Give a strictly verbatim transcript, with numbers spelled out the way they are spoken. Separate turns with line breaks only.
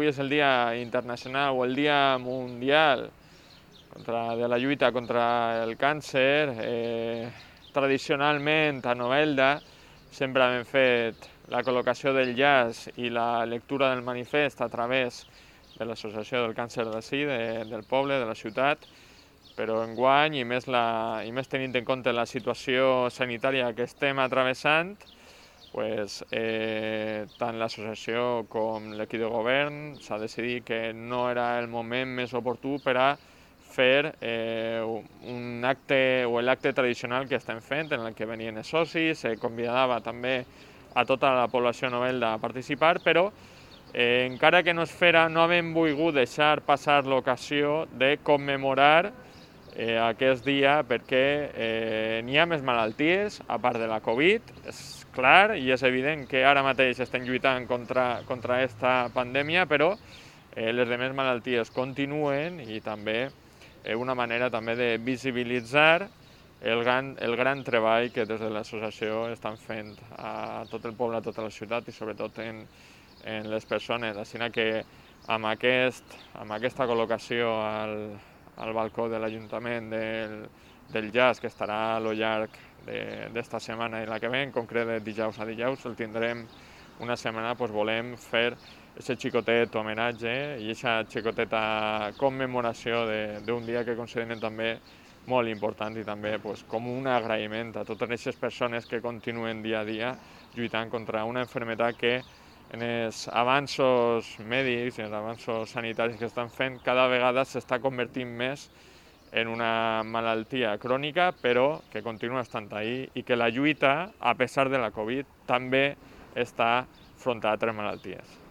avui és el Dia Internacional o el Dia Mundial contra, de la lluita contra el càncer, eh, tradicionalment a Novelda sempre hem fet la col·locació del llaç i la lectura del manifest a través de l'Associació del Càncer d'ací, de, del poble, de la ciutat, però enguany, i més, la, i més tenint en compte la situació sanitària que estem atravessant, pues, eh, tant l'associació com l'equip de govern s'ha decidit que no era el moment més oportú per a fer eh, un acte o l'acte tradicional que estem fent, en el que venien els socis, se convidava també a tota la població novelda a participar, però eh, encara que no es fera, no hem volgut deixar passar l'ocasió de commemorar eh, aquest dia perquè eh, n'hi ha més malalties, a part de la Covid, és clar i és evident que ara mateix estem lluitant contra, contra aquesta pandèmia, però eh, les demés malalties continuen i també és una manera també de visibilitzar el gran, el gran treball que des de l'associació estan fent a tot el poble, a tota la ciutat i sobretot en, en les persones. Així que amb, aquest, amb aquesta col·locació al, al balcó de l'Ajuntament del, del llaç, que estarà a lo llarg d'esta setmana i la que ve, en concret de dijous a dijous, el tindrem una setmana, doncs volem fer aquest xicotet homenatge i aquesta xicoteta commemoració d'un dia que considerem també molt important i també pues, com un agraïment a totes aquestes persones que continuen dia a dia lluitant contra una malaltia que en els avanços mèdics i els avanços sanitaris que estan fent cada vegada s'està convertint més en una malaltia crònica, però que continua estant ahí i que la lluita, a pesar de la Covid, també està enfrontada a altres malalties.